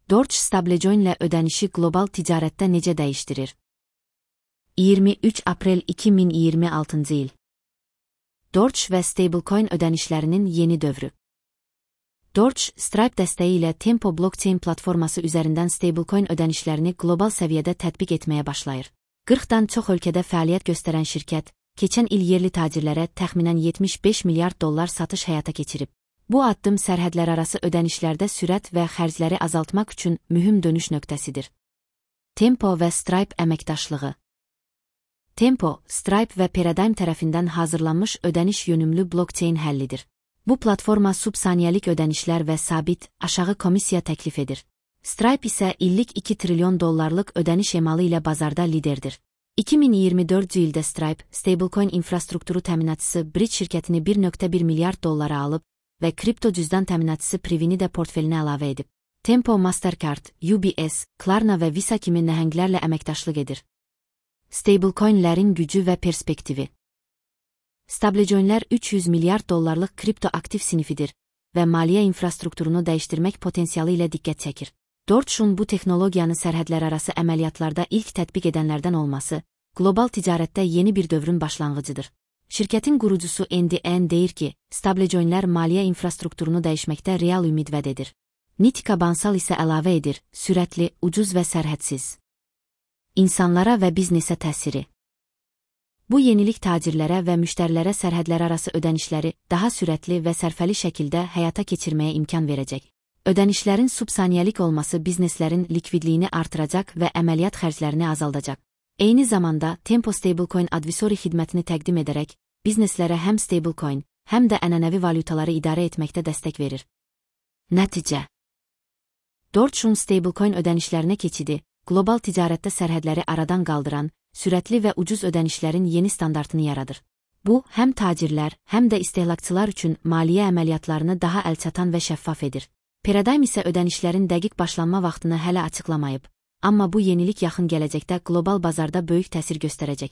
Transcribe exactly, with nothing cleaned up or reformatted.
Doge stablecoin ilə ödənişi qlobal ticarətdə necə dəyişdirir? iyirmi üç aprel iki min iyirmi altıncı il. Doge və stablecoin ödənişlərinin yeni dövrü. Doge, Stripe dəstəyi ilə Tempo blockchain platforması üzərindən stablecoin ödənişlərini qlobal səviyyədə tətbiq etməyə başlayır. qırxdan çox ölkədə fəaliyyət göstərən şirkət, keçən il yerli tacirlərə təxminən yetmiş beş milyard dollar satış həyata keçirib. Bu addım sərhədlərarası ödənişlərdə sürət və xərcləri azaltmaq üçün mühüm dönüş nöqtəsidir. Tempo və Stripe əməkdaşlığı. Tempo, Stripe və Paradigm tərəfindən hazırlanmış ödəniş yönümlü blockchain həllidir. Bu platforma subsaniyəlik ödənişlər və sabit, aşağı komissiya təklif edir. Stripe isə illik iki trilyon dollarlıq ödəniş emalı ilə bazarda liderdir. iki min iyirmi dördüncü ildə Stripe, stablecoin infrastrukturu təminatçısı Bridge şirkətini bir nöqtə bir milyard dollara alıb və kripto cüzdan təminatçısı Privini də portfelinə əlavə edib. Tempo, Mastercard, U B S, Klarna və Visa kimi nəhənglərlə əməkdaşlıq edir. Stablecoinlərin gücü və perspektivi. Stablecoinlər üç yüz milyard dollarlıq kripto aktiv sinifidir və maliyyə infrastrukturunu dəyişdirmək potensialı ilə diqqət çəkir. Doge'un bu texnologiyanı sərhədlərarası əməliyyatlarda ilk tətbiq edənlərdən olması, qlobal ticarətdə yeni bir dövrün başlanğıcıdır. Şirkətin qurucusu Andy Ng deyir ki, stablecoinlər maliyyə infrastrukturunu dəyişməkdə real ümid vəd edir. Nitika Bansal isə əlavə edir, sürətli, ucuz və sərhədsiz. İnsanlara və biznesə təsiri. Bu yenilik tacirlərə və müştərilərə sərhədlərarası ödənişləri daha sürətli və sərfəli şəkildə həyata keçirməyə imkan verəcək. Ödənişlərin subsaniyəlik olması bizneslərin likvidliyini artıracaq və əməliyyat xərclərini azaldacaq. Eyni zamanda Tempo Stablecoin Advisory xidmətini təqdim edərək, bizneslərə həm stablecoin, həm də ənənəvi valyutaları idarə etməkdə dəstək verir. Nəticə. Doge'un stablecoin ödənişlərinə keçidi, qlobal ticarətdə sərhədləri aradan qaldıran, sürətli və ucuz ödənişlərin yeni standartını yaradır. Bu, həm tacirlər, həm də istehlakçılar üçün maliyyə əməliyyatlarını daha əlçatan və şəffaf edir. Paradigm isə ödənişlərin dəqiq başlanma vaxtını hələ açıqlamayıb, amma bu yenilik yaxın gələcəkdə qlobal bazarda böyük təsir göstərəcək.